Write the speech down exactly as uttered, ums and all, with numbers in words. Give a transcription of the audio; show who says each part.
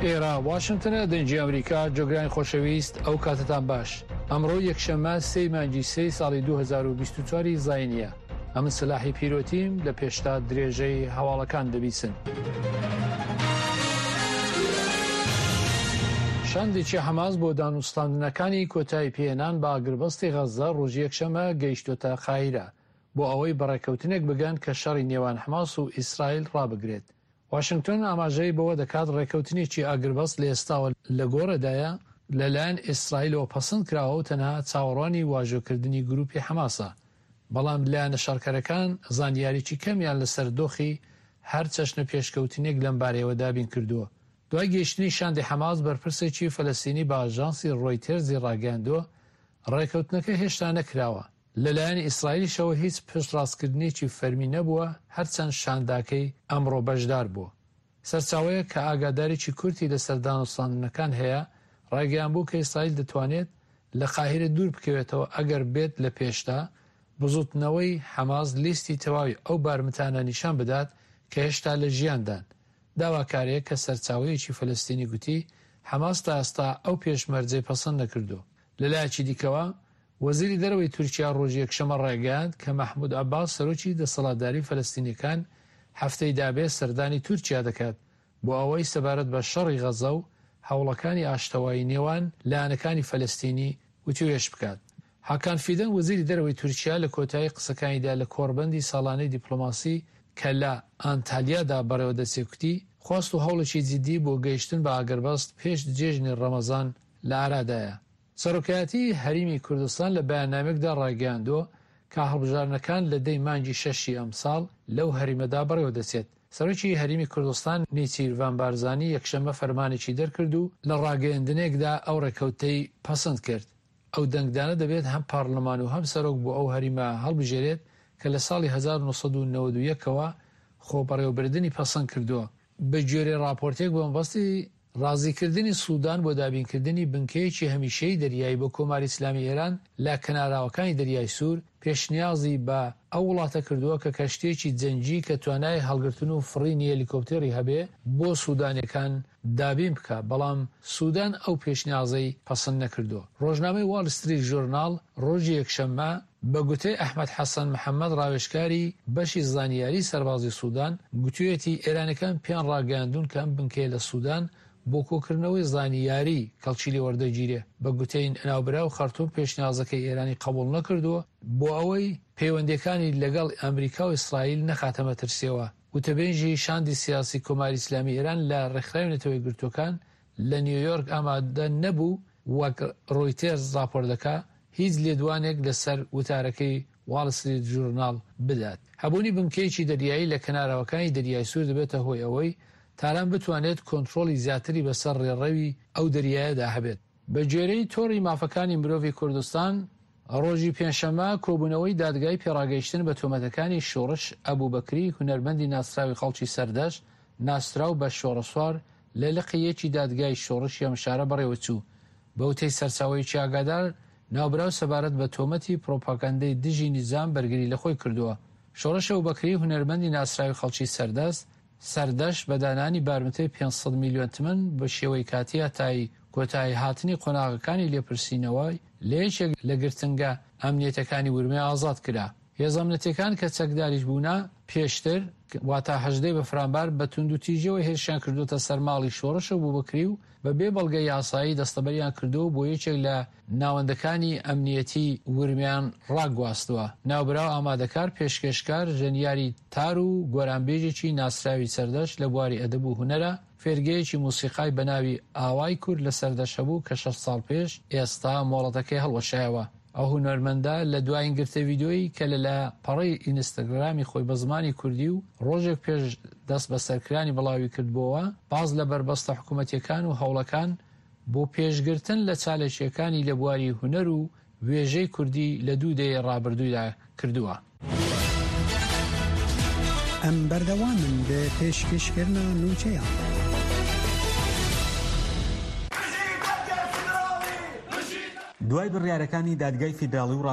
Speaker 1: ئێرە واشنگتنە، دەنگی ئەمریکا. جۆگرانی خۆشەویست، ئەو کاتتان باش. ئەمڕۆ یەکشەممە سێی مانگی سێی ساڵی دوو هەزار و بیست و چوار ی زاینیە. ئەمن سەلاحی پیرۆتیم، لە پێشتا درێژەی هەواڵەکان دەبیسن. شاندێکی حەماس بۆ دانوستاندنەکانی کۆتایی پێهێنان بە ئاگربەستی غەززە ڕۆژی یەکشەممە گەیشتۆتە قاهیرە بۆ ئەوەی بەڕێکەوتنێک بگەن کە شەڕی نێوان حەماس و ئیسرائیل ڕابگرێت. واشنگتۆن ئاماژەی بەوە دەکات ڕێکەوتنێکی ئاگربەست لە ئێستاوە لە گۆڕێدایە لەلایەن ئیسرائیلەوە پەسەند کراوە و تەنها چاوەڕوانی واژۆکردنی گروپی حەماسە، بەڵام لایەنە شەڕکەرەکان زانیاریی کەمیان لەسەر دۆخی هەر چەشنە پێشکەوتنێک لەم بارەیەوە دابین کردووە. دوای گەیشتنی شاندی حەماس، بەرپرسێکی فەلەستینی بە ئاژانسی ڕۆیتێرزی ڕاگەیاندووە ڕێکەوتنەکە هێشتا نەکراوە، لەلایەن ئیسرائیلیشەوە هیچ پشتڕاستکردنێکی فەرمی نەبووە، هەرچەند شانداکەی ئەمڕۆ بەشدار بووە. سەرچاوەیە کە ئاگادارێکی کورتی لەسەر دانوستاندنەکان هەیە ڕایگەیان بوو کە ئیسرائیل دەتوانێت لە قاهیرە دوور بکەوێتەوە ئەگەر بێت لە پێشدا بزوتنەوەی حەماس لیستی تەواوی ئەو بارمتانە نیشان بدات کە هێشتا لە ژیاندان. داواکارێک کە سەرچاوەیەکی فەلەستینی گوتی حەماس تا ئێستا ئەو پێشمەرجەی پەسەند نەکردووە. لەلایەکی دیکەوە وەزیری دەرەوەی تورکیا ڕۆژی یەکشەممە ڕایگەیاند کە مەحمود عەباس سەرۆکی دەسەڵاتداری فەلەستینیەکان هەفتەی دابێ سەردانی تورکیا دەکات بۆ ئەوەی سەبارەت بە شەڕی غەزە و هەوڵەکانی ئاشتەوایی نێوان لایەنەکانی فەلەستینی وتوێژ بکات. هاکان فیدەن وەزیری دەرەوەی تورکیا لە کۆتایی قسەکانیدا لە کۆڕبەندی ساڵانەی دیپلۆماسی کە لە ئانتالیادا بەڕێوە دەچێت کوتی خواست و هەوڵێکی جدی بۆ گەیشتن بە ئاگربەست پێش جێژنی ڕەمەزان لە ئارادایە. سەرۆکایەتی هەرێمی کوردستان لە بەیاننامەیەکدا ڕایگەیاندووە کە هەڵبژاردنەکان لە دەی مانگی شەشی ئەمساڵ لەو هەرێمەدا بەڕێوە دەچێت. سەرۆکی هەرێمی کوردستان نێچیرڤان بارزانی یەکشەممە فەرمانێکی دەرکرد و لە ڕاگەیەندنێکدا ئەو ڕێکەوتەی پەسەند کرد. ئەو دەنگدانە دەبێت هەم پارلەمان و هەم سەرۆک بۆ ئەو هەرێمە هەڵبژێرێت کە لە ساڵی هەزار و نۆ سەد و نەوەد و یەک ەوە خۆبەڕێوەبردنی پەسەند کردووە. بە گوێرەی ڕاپۆرتێک بە مەبەستی ڕازیکردنی سودان بۆ دابینکردنی بنکەیەکی هەمیشەیی دەریایی بۆ کۆماری ئیسلامی ئێران لە کەناراوەکانی دەریای سوور، پێشنیازی بە ئەو وڵاتە کردووە کە کەشتییەکی جەنگی کە توانای هەڵگرتن و فڕینی هەلیکۆپتێری هەبێ بۆ سودانیەکان دابین بکا، بەڵام سودان ئەو پێشنیازەی پەسند نەکردووە. ڕۆژنامەی واڵ ستریت ژورناڵ ڕۆژی یەکشەممە بە گوتەی ئەحمەد حەسەن محەمەد ڕاوێژکاری بەشی زانیاری سەربازی سودان گوتویەتی ئێرانەکان پێیان ڕاگەیاندوون کە ئەم بنکەیە لە سودان بۆ کۆکردنەوەی زانیاری کەڵکی لێوەردەگیرێ. بە گوتەی ناوبراو خەرتوم پێشنیازەکەی ئێرانی قبوڵ نەکردووە بۆ ئەوەی پەیوەندیەکانی لەگەڵ ئەمریکا و ئیسرائیل نەخاتە مەترسیەوە. وتەبێژی شاندی سیاسی کۆماری ئیسلامی ئێران لە ڕێکخراوی نەتەوە یەکگرتووەکان لە نیویۆرک ئامادە نەبوو، وەک ڕۆیتێرز ڕاپۆرت دەکا هیچ لێدوانێک لەسەر وتارەکەی واڵ ستریت ژورناڵ بدات. هەبوونی بنکەیەکی دەریایی لە کەناراوەکانی دەریای سوور دەبێتە هۆی ئەوەی تاران بتوانێت کۆنترۆڵی زیاتری بەسەر ڕێڕەوی ئەو دەریایەدا هەبێت. بە گوێرەی تۆڕی مافەکانی مرۆڤی کوردستان، ڕۆژی پێنجشەممە کۆبوونەوەی دادگای پێڕاگەیشتن بە تۆمەتەکانی شۆڕش ئەبوبەکری هونەرمەندی ناسراوی خەڵکی سەردەشت ناسراو بە شۆڕەسوار لە لقی یەکی دادگای شۆڕشی ئەم شارە بەڕێوەچوو. بەوتەی سەرچاوەیەکی ئاگادار، ناوبراو سەبارەت بە تۆمەتی پرۆپاگەندەی دژی نیزام بەرگری لە خۆی کردووە. شۆڕش ئەبوبەکری هونەرمەندی ناسراوی خەڵکی سەردەست سەردەشت بە دانانی بارمتەی پێنج سەد میلیۆن تمەن بە شێوەی کاتی هەتایی کۆتایی هاتنی قۆناغەکانی لێپرسینەوە لە یەکێک لە گرتنگە ئەمنیەتەکانی ورمێ ئازاد کرا. هێزە ئەمنیەتیەکان کە چەکداریش بوونە پێشتر واتا هەژدەی بەفرانبار بە توندوتیژیەوە هێرشیان کردووەتە سەر ماڵی شۆڕش ئەبوبەکری و بە بێ بەڵگە یاسایی دەستەبەریان کردووە و بۆ یەکێک لە ناوەندەکانی ئەمنیەتی ورمیان ڕاگواستووە. ناوبراو ئامادەکار، پێشکێشکار، ژەنیاری تار و گۆرانبێژێکی ناسراوی سەردەشت لە بواری ئەدەب و هونەرە. فێرگەیەکی موسیقای بە ناوی ئاوای کورد لە سەردەشت هەبوو کە شەش ساڵ پێش ئێستا مۆڵەتەکەی هەڵوەشایەوە. ئەو هونەرمەندە لە دوایین گرتە ڤیدیۆیی کە لە لاپەڕەی ئینستاگرامی خۆی بە زمانی کوردی و ڕۆژێک پێش دەست بەسەرکرانی بڵاوی کردبۆوە، باس لە بەربەستە حکوومەتیەکان و هەوڵەکان بۆ پێشگرتن لە چالاکییەکانی لە بواری هونەر و وێژەی کوردی لە دوو دەیەی ڕابردوودا کردووە.
Speaker 2: ئەم بەردەوامن بە پێشکێشکردنا نوچەیان.
Speaker 3: دوای بڕیارەکانی دادگای فیدراڵی و